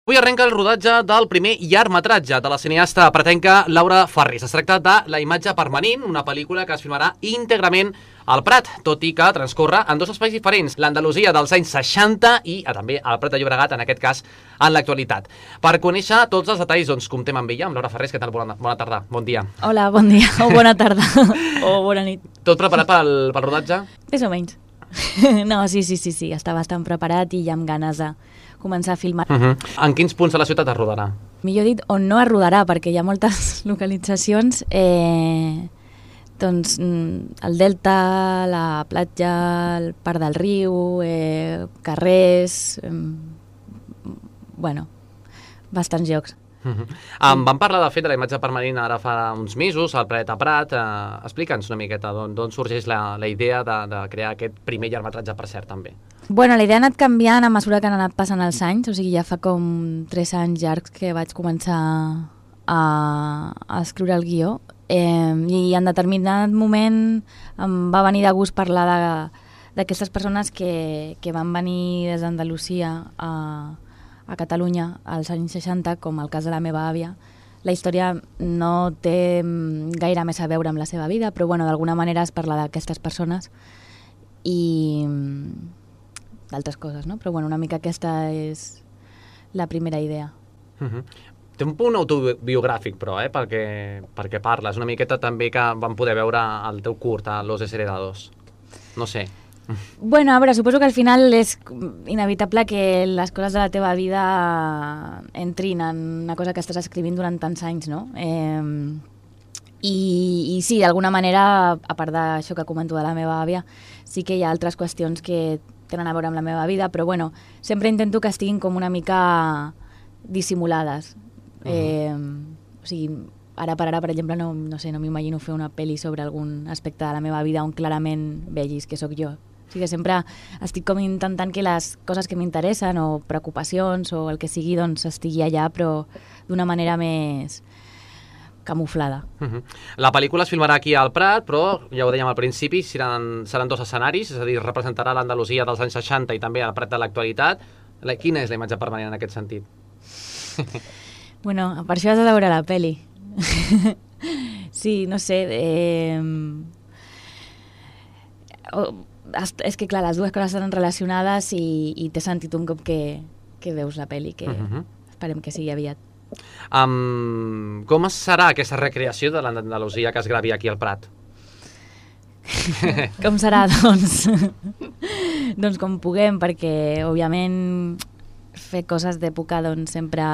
Avui arrenca el rodatge del primer llargmetratge de la cineasta pretenca Laura Farris. Es tracta de La imatge permanent, una pel·lícula que es filmarà íntegrament al Prat, tot i que transcorre en dos espais diferents, l'Andalusia dels anys 60 i també el Prat de Llobregat, en aquest cas, en l'actualitat. Per conèixer tots els detalls, doncs, comptem amb ella, amb Laura Farris. Què tal? Bona tarda, bon dia. Hola, bon dia, o bona tarda, o bona nit. Tot preparat pel rodatge? Més o menys. No, sí, està bastant preparat i ja amb ganes de començar a filmar. En quins punts de la ciutat es rodarà? Millor dit, on no es rodarà, perquè hi ha moltes localitzacions, doncs el Delta, la platja, el Parc del Riu, carrers, bueno, bastants llocs. Vam parlar, de fet, de la imatge permanent ara fa uns mesos, al Planeta Prat. Explica'ns una miqueta d'on sorgeix la idea de crear aquest primer llargmetratge, per cert, també. Bueno, la idea ha anat canviant a mesura que han anat passant els anys, o sigui, ja fa com 3 anys llargs que vaig començar a escriure el guió, i en determinat moment em va venir de gust parlar d'aquestes persones que van venir des d'Andalusia a Catalunya als anys 60, com el cas de la meva àvia. La història no té gaire més a veure amb la seva vida, però bueno, d'alguna manera es parla d'aquestes persones i d'altres coses, no? Però bueno, una mica aquesta és la primera idea. Té un punt autobiogràfic, però, perquè parles una miqueta també que vam poder veure el teu curt, a Los Desheredados. No sé. Bueno, a veure, suposo que al final és inevitable que les coses de la teva vida entrin en una cosa que estàs escrivint durant tants anys, no? I sí, d'alguna manera, a part d'això que comento de la meva àvia, sí que hi ha altres qüestions que tenen a veure amb la meva vida, però bueno, sempre intento que estiguin com una mica dissimulades. O sigui, ara per ara, per exemple, no sé, no m'imagino fer una pel·li sobre algun aspecte de la meva vida on clarament vegis que sóc jo. O sigui que sempre estic com intentant que les coses que m'interessen o preocupacions o el que sigui, doncs estigui allà, però d'una manera més camuflada. La pel·lícula es filmarà aquí al Prat, però ja ho dèiem al principi, seran dos escenaris, és a dir, representarà l'Andalusia dels anys 60 i també el Prat de l'actualitat. Quina és la imatge permanent en aquest sentit? Bueno, per això has de veure la pel·li. Sí, no sé, és que clar, les dues coses estan relacionades i té sentit un cop que veus la pel·li, que esperem que sigui aviat. Com serà aquesta recreació de l'Andalusia que es gravi aquí al Prat? Com serà, doncs? Doncs com puguem, perquè òbviament fer coses d'època doncs sempre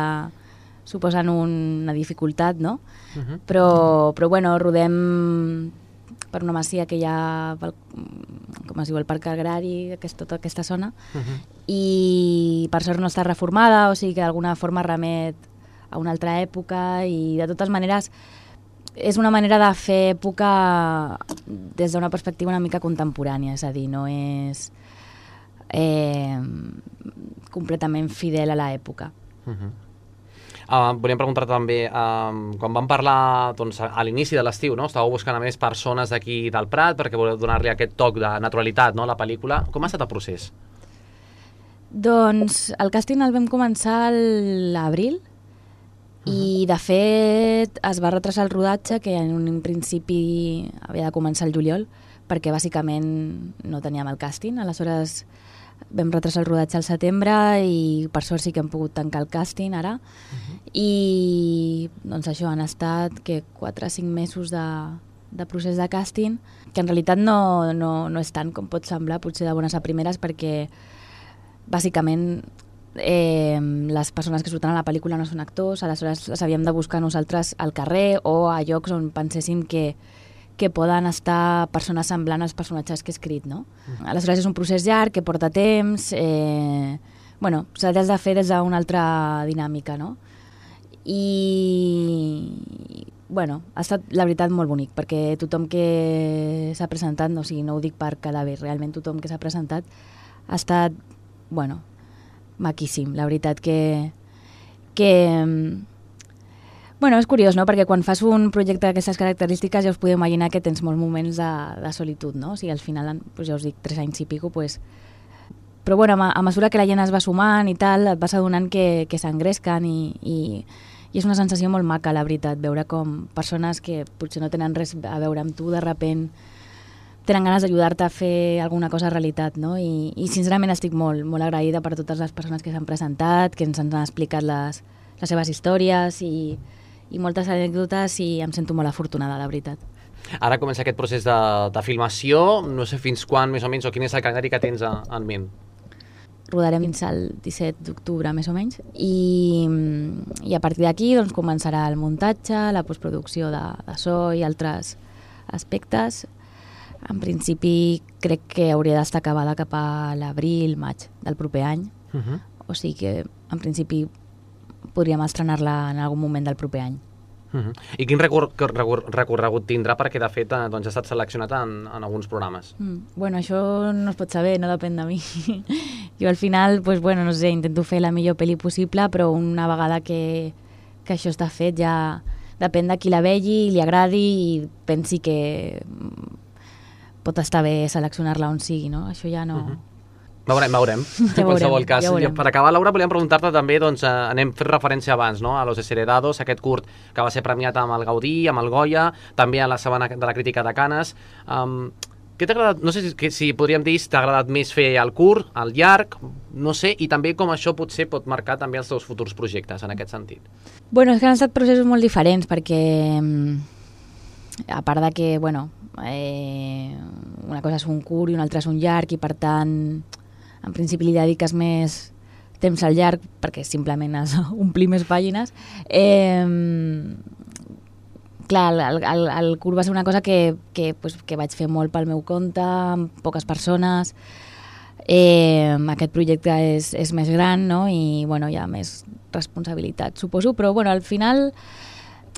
suposen una dificultat, no? Però bueno, rodem per una masia que hi ha, com es diu, el Parc Agrari, tota aquesta zona, i per sort no està reformada, o sigui que d'alguna forma remet a una altra època, i de totes maneres és una manera de fer època des d'una perspectiva una mica contemporània, és a dir, no és completament fidel a l'època. Volíem preguntar també, quan vam parlar a l'inici de l'estiu, estàveu buscant a més persones d'aquí del Prat perquè voleu donar-li aquest toc de naturalitat a la pel·lícula. Com ha estat el procés? Doncs el càsting el vam començar a l'abril i de fet es va retrasar el rodatge, que en un principi havia de començar el juliol, perquè bàsicament no teníem el càsting. Aleshores vam retrasar el rodatge al setembre i per sort sí que hem pogut tancar el càsting ara. I doncs això, han estat 4 o 5 mesos de procés de càsting, que en realitat no és tant com pot semblar, potser de bones a primeres, perquè bàsicament les persones que surten a la pel·lícula no són actors, aleshores les havíem de buscar nosaltres al carrer o a llocs on penséssim que poden estar persones semblant als personatges que he escrit, no? Aleshores és un procés llarg, que porta temps, bueno, s'ha de fer des d'una altra dinàmica, no? I bueno, ha estat la veritat molt bonic, perquè tothom que s'ha presentat, o sigui, no ho dic per quedar bé, realment tothom que s'ha presentat ha estat, bueno, maquíssim, la veritat que bueno, és curiós, no? Perquè quan fas un projecte d'aquestes característiques ja us podeu imaginar que tens molts moments de solitud, no? O sigui, al final, ja us dic, 3 anys i pico, Però bueno, a mesura que la gent es va sumant i tal, et vas adonant que s'engresquen i és una sensació molt maca, la veritat, veure com persones que potser no tenen res a veure amb tu, de repent tenen ganes d'ajudar-te a fer alguna cosa realitat, no? I sincerament estic molt, molt agraïda per totes les persones que s'han presentat, que ens han explicat les seves històries i moltes anècdotes, i em sento molt afortunada, la veritat. Ara comença aquest procés de filmació, no sé fins quan més o menys, o quin és el calendari que tens en ment? Rodarem fins al 17 d'octubre, més o menys, i a partir d'aquí doncs, començarà el muntatge, la postproducció de so i altres aspectes. En principi crec que hauria d'estar acabada cap a l'abril, maig del proper any, o sigui que en principi podríem estrenar-la en algun moment del proper any. I quin recorregut tindrà? Perquè de fet doncs, ha estat seleccionat en alguns programes. Bueno, això no es pot saber, no depèn de mi. Jo al final, pues, bueno, no sé, intento fer la millor pel·li possible, però una vegada que això està fet ja depèn de qui la vegi, li agradi i pensi que pot estar bé seleccionar-la on sigui, no? Això ja no... Veurem. En qualsevol cas. Per acabar, Laura, volíem preguntar-te també, doncs, anem fent referència abans, no?, a Los Desheredados, aquest curt que va ser premiat amb el Gaudí, amb el Goya, també a la Setmana de la Crítica de Canes. Què t'ha agradat? No sé si podríem dir si t'ha agradat més fer el curt, el llarg, no sé, i també com això potser pot marcar també els teus futurs projectes, en aquest sentit. Bueno, és que han estat processos molt diferents, perquè a part de que, bueno, una cosa és un curt i una altra és un llarg, i per tant en principi li dediques més temps al llarg perquè simplement has omplir més pàgines. Clar, el curt va ser una cosa que vaig fer molt pel meu compte, amb poques persones. Aquest projecte és més gran, no? I bueno, hi ha més responsabilitat, suposo, però bueno, al final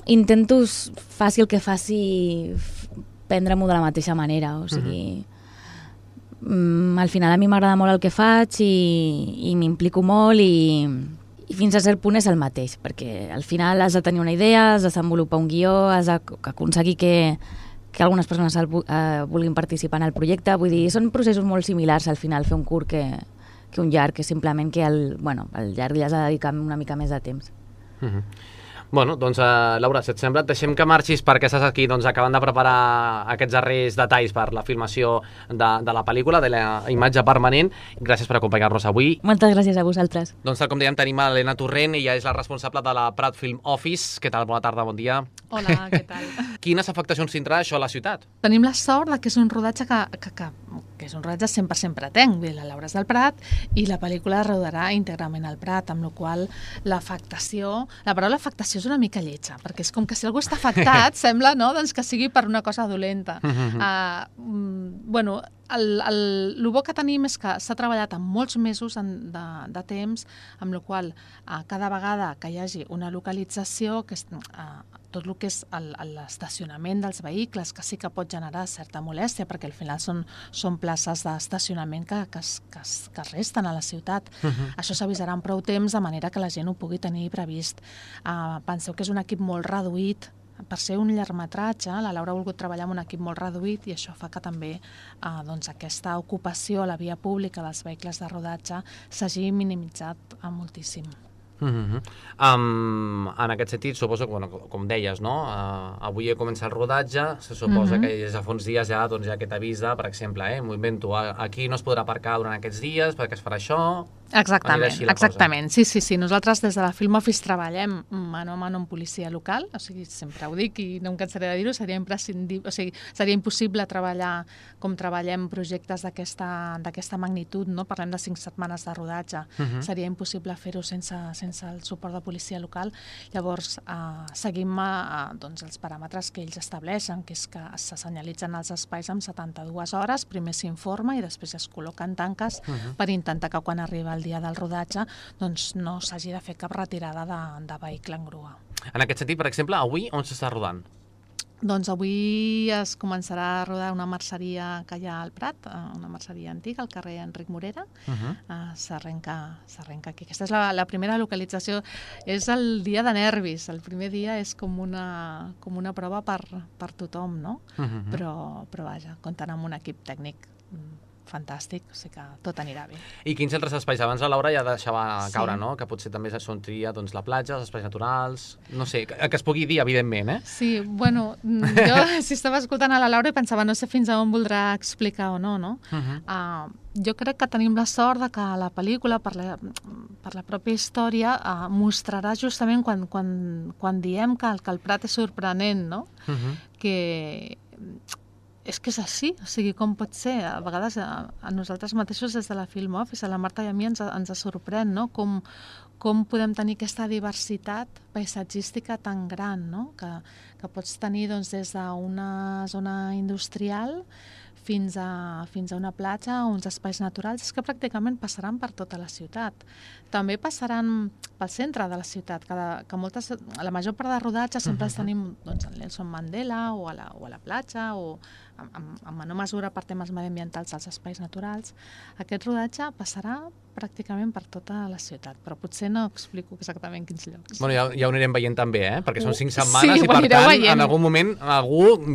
intento, faci el que faci, prendre-m'ho de la mateixa manera, o sigui... al final a mi m'agrada molt el que faig i m'implico molt i fins a cert punt és el mateix, perquè al final has de tenir una idea, has de desenvolupar un guió, has d'aconseguir que algunes persones vulguin participar en el projecte. Vull dir, són processos molt similars al final, fer un curt que un llarg, que simplement que el llarg li has de dedicar una mica més de temps. Bueno, doncs, Laura, si et sembla, et deixem que marxis perquè estàs aquí acabant de preparar aquests darrers detalls per la filmació de la pel·lícula, de la imatge permanent. Gràcies per acompanyar-nos avui. Moltes gràcies a vosaltres. Doncs, tal com dèiem, tenim a l'Helena Torrent, ella és la responsable de la Prat Film Office. Què tal? Bona tarda, bon dia. Hola, què tal? Quines afectacions tindrà això a la ciutat? Tenim la sort que és un rodatge que és un rodatge 100% pratenc. La Laura és del Prat i la pel·lícula es rodarà íntegrament al Prat, amb la qual l'afectació... La paraula afectació és una mica lletja, perquè és com que si algú està afectat, sembla, no?, doncs que sigui per una cosa dolenta. Bueno, el bo que tenim és que s'ha treballat en molts mesos de temps, amb la qual cada vegada que hi hagi una localització, que és tot el que és l'estacionament dels vehicles, que sí que pot generar certa molèstia, perquè al final són places d'estacionament que es resten a la ciutat. Això s'avisarà en prou temps, de manera que la gent ho pugui tenir previst. Penseu que és un equip molt reduït. Per ser un llargmetratge, la Laura ha volgut treballar amb un equip molt reduït i això fa que també aquesta ocupació a la via pública dels vehicles de rodatge s'hagi minimitzat moltíssim. En aquest sentit, suposo que, com deies, no? Avui comença el rodatge, se suposa que des de fa uns dies ja hi ha aquest avís de, per exemple, m'ho invento, aquí no es podrà aparcar durant aquests dies perquè es farà això... Exactament. Sí. Nosaltres des de la Film Office treballem mano a mano amb policia local, o sigui, sempre ho dic i no em cansaré de dir-ho, seria imprescindible, o sigui, seria impossible treballar com treballem projectes d'aquesta magnitud, no? Parlem de 5 setmanes de rodatge, seria impossible fer-ho sense el suport de policia local. Llavors, seguim els paràmetres que ells estableixen, que és que se senyalitzen els espais amb 72 hores, primer s'informa i després es col·loquen tanques per intentar que quan arriba el dia del rodatge doncs no s'hagi de fer cap retirada de vehicle en grua. En aquest sentit, per exemple, avui on s'està rodant? Doncs avui es començarà a rodar una merceria que hi ha al Prat, una merceria antiga, al carrer Enric Morera. S'arrenca aquí. Aquesta és la primera localització. És el dia de nervis. El primer dia és com una prova per tothom, no? Però vaja, comptant amb un equip tècnic fantàstic, o sigui que tot anirà bé. I quins altres espais? Abans la Laura ja deixava caure, no? Que potser també són tria la platja, els espais naturals... No sé, que es pugui dir, evidentment, eh? Sí, bueno, jo si estava escoltant a la Laura i pensava no sé fins a on voldrà explicar o no, no? Jo crec que tenim la sort de que la pel·lícula, per la pròpia història, mostrarà justament quan diem que el Prat és sorprenent, no? Que és que és així, o sigui, com pot ser? A vegades a nosaltres mateixos des de la Film Office, a la Marta i a mi ens sorprèn, no? Com podem tenir aquesta diversitat paisatgística tan gran, no? Que pots tenir doncs, des d'una zona industrial fins a una platja o uns espais naturals, és que pràcticament passaran per tota la ciutat. També passaran pel centre de la ciutat, que la major part de rodatge sempre els tenim doncs, a Nelson Mandela o a la platja o en menor mesura per temes mediambientals als espais naturals. Aquest rodatge passarà pràcticament per tota la ciutat, però potser no explico exactament quins llocs. Bueno, ja ho anirem veient també, perquè són 5 setmanes sí, i per tant, veient. En algun moment,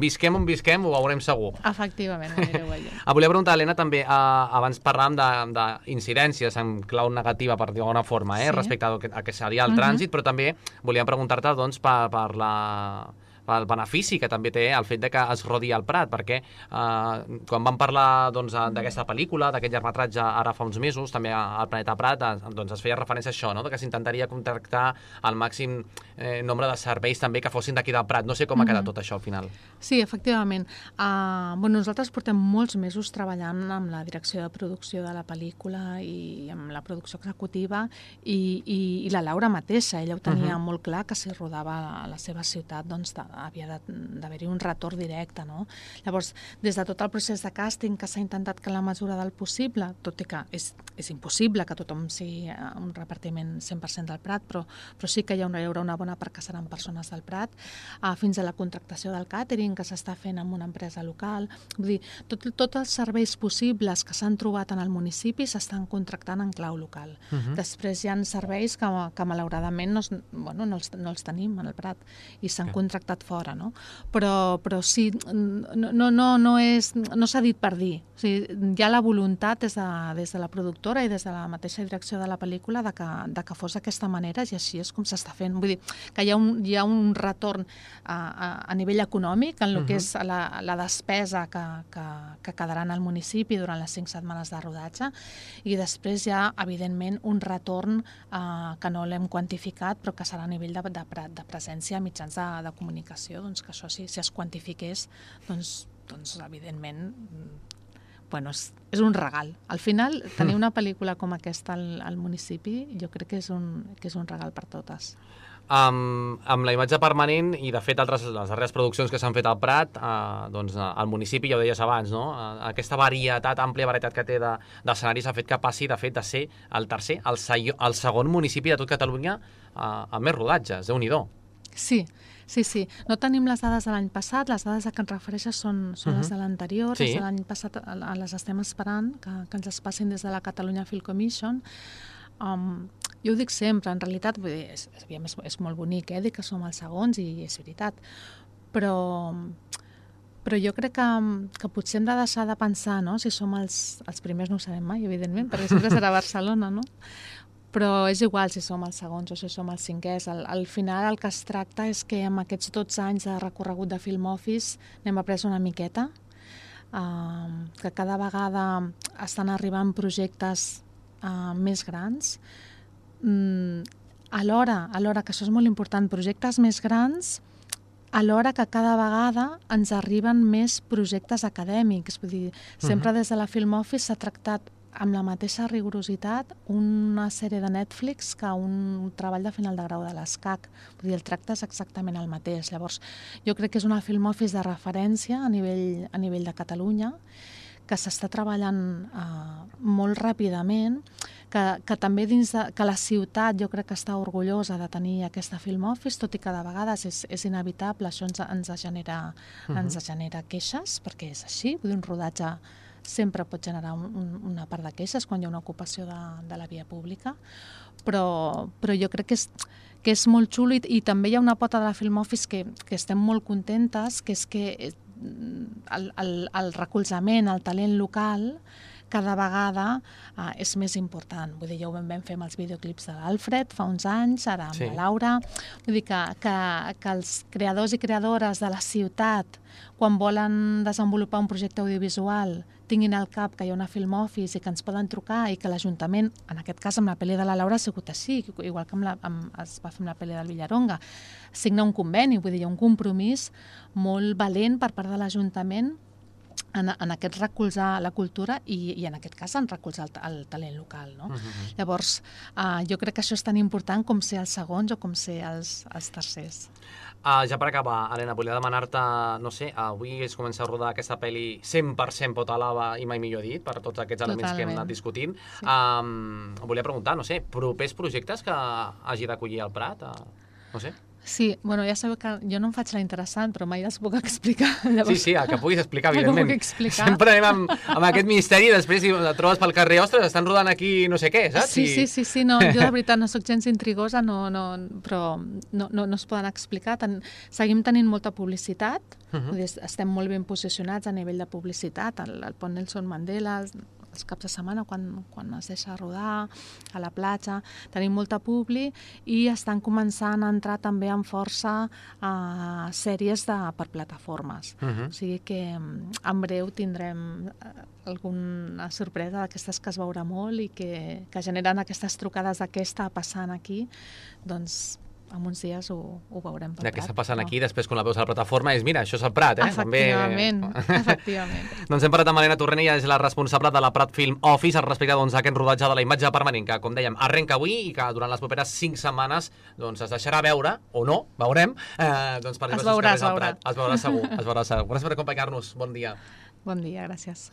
visquem on visquem, ho veurem segur. Efectivament, ho anireu veient. Volia preguntar, Helena, també, abans parlàvem d'incidències en clau negativa, per dir d'alguna forma, respecte a que seria el trànsit, però també volíem preguntar-te doncs, pel benefici que també té el fet de que es rodi al Prat, perquè quan vam parlar d'aquesta pel·lícula, d'aquest llargmetratge ara fa uns mesos, també al Planeta Prat, doncs es feia referència a això, no? Que s'intentaria contractar el màxim nombre de serveis també que fossin d'aquí del Prat. No sé com ha quedat tot això al final. Sí, efectivament. Nosaltres portem molts mesos treballant amb la direcció de producció de la pel·lícula i amb la producció executiva i la Laura mateixa, ella ho tenia molt clar que si rodava a la seva ciutat doncs havia d'haver-hi un retorn directe, no? Llavors, des de tot el procés de càsting que s'ha intentat que en la mesura del possible, tot i que és impossible que tothom sigui un repartiment 100% del Prat, però sí que hi haurà una bona part que seran persones del Prat, fins a la contractació del càtering que s'està fent amb una empresa local. Vull dir, tots els serveis possibles que s'han trobat en el municipi s'estan contractant en clau local. Després hi ha serveis que malauradament no els tenim en el Prat i s'han contractat fora, no? Però sí, no s'ha dit per dir. O sigui, hi ha la voluntat des de la productora i des de la mateixa direcció de la pel·lícula de que fos d'aquesta manera i així és com s'està fent. Vull dir, que hi ha un retorn a nivell econòmic en el que és la despesa que quedarà en el municipi durant les 5 setmanes de rodatge i després hi ha, evidentment, un retorn que no l'hem quantificat però que serà a nivell de presència a mitjans de comunicació, doncs que això si es quantifiqués, doncs evidentment és un regal. Al final, tenir una pel·lícula com aquesta al municipi jo crec que és un regal per totes. Amb la imatge permanent i de fet les darreres produccions que s'han fet al Prat, doncs al municipi, ja ho deies abans, no? Aquesta àmplia varietat que té d'escenaris ha fet que passi de fet de ser el tercer, el segon municipi de tot Catalunya amb més rodatges, Déu-n'hi-do. Sí. No tenim les dades de l'any passat, les dades a què ens refereixes són les de l'anterior, les de l'any passat les estem esperant, que ens les passin des de la Catalunya Film Commission. Jo ho dic sempre, en realitat és molt bonic dir que som els segons i és veritat, però jo crec que potser hem de deixar de pensar, no? Si som els primers no ho sabem mai, evidentment, perquè sempre serà Barcelona, no? Però és igual si som els segons o si som els cinquers. Al final el que es tracta és que amb aquests 12 anys de recorregut de Film Office n'hem après una miqueta, que cada vegada estan arribant projectes més grans. Alhora, que això és molt important, projectes més grans, alhora que cada vegada ens arriben més projectes acadèmics. Vull dir, sempre des de la Film Office s'ha tractat amb la mateixa rigorositat una sèrie de Netflix que un treball de final de grau de l'ESCAC. Vull dir, el tracte és exactament el mateix. Llavors, jo crec que és una Film Office de referència a nivell de Catalunya, que s'està treballant molt ràpidament, que també que la ciutat jo crec que està orgullosa de tenir aquesta Film Office, tot i que de vegades és inevitable, això ens genera queixes, perquè és així, vull dir, un rodatge sempre pot generar una part de queixes quan hi ha una ocupació de la via pública, però jo crec que és molt xulo i també hi ha una pota de la Film Office que estem molt contentes, que és que el recolzament al talent local cada vegada és més important. Vull dir, ja ho vam fer amb els videoclips de l'Alfred fa uns anys, ara amb la Laura. Vull dir que els creadors i creadores de la ciutat, quan volen desenvolupar un projecte audiovisual, tinguin al cap que hi ha una Film Office i que ens poden trucar i que l'Ajuntament, en aquest cas amb la pel·li de la Laura ha sigut així, igual que es va fer amb la pel·li del Villaronga, signa un conveni, vull dir, hi ha un compromís molt valent per part de l'Ajuntament en aquest recolzar la cultura i en aquest cas en recolzar el talent local. No? Llavors, jo crec que això és tan important com ser els segons o com ser els tercers. Ja per acabar, Helena, volia demanar-te, no sé, avui es comença a rodar aquesta pel·li 100% Potalava i mai millor dit, per tots aquests elements que hem anat discutint. Volia preguntar, no sé, propers projectes que hagi d'acollir el Prat? No sé. Sí, bueno, ja sabeu que jo no em faig la interessant, però mai els puc explicar. Llavors, sí, que puguis explicar, evidentment. Que puc explicar. Sempre anem amb aquest misteri i després et trobes pel carrer, ostres, estan rodant aquí no sé què, saps? Sí, no, jo de veritat no sóc gens intrigosa, però no es poden explicar. Seguim tenint molta publicitat, estem molt ben posicionats a nivell de publicitat, al Pont Nelson Mandela, els caps de setmana quan es deixa rodar a la platja, tenim molta publi i estan començant a entrar també amb força sèries per plataformes. O sigui que en breu tindrem alguna sorpresa d'aquestes que es veurà molt i que generen aquestes trucades de què està passant aquí, doncs en uns dies ho veurem pel Prat. De què està passant aquí, després quan la veus a la plataforma és, mira, això és el Prat, Efectivament. Doncs hem parlat amb Helena Torrent, és la responsable de la Prat Film Office al respecte d'aquest rodatge de la imatge permanent, que, com dèiem, arrenca avui i que durant les properes 5 setmanes es deixarà veure, o no, veurem, per es veurà segur. Es veurà segur. Gràcies per acompanyar-nos. Bon dia. Bon dia, gràcies.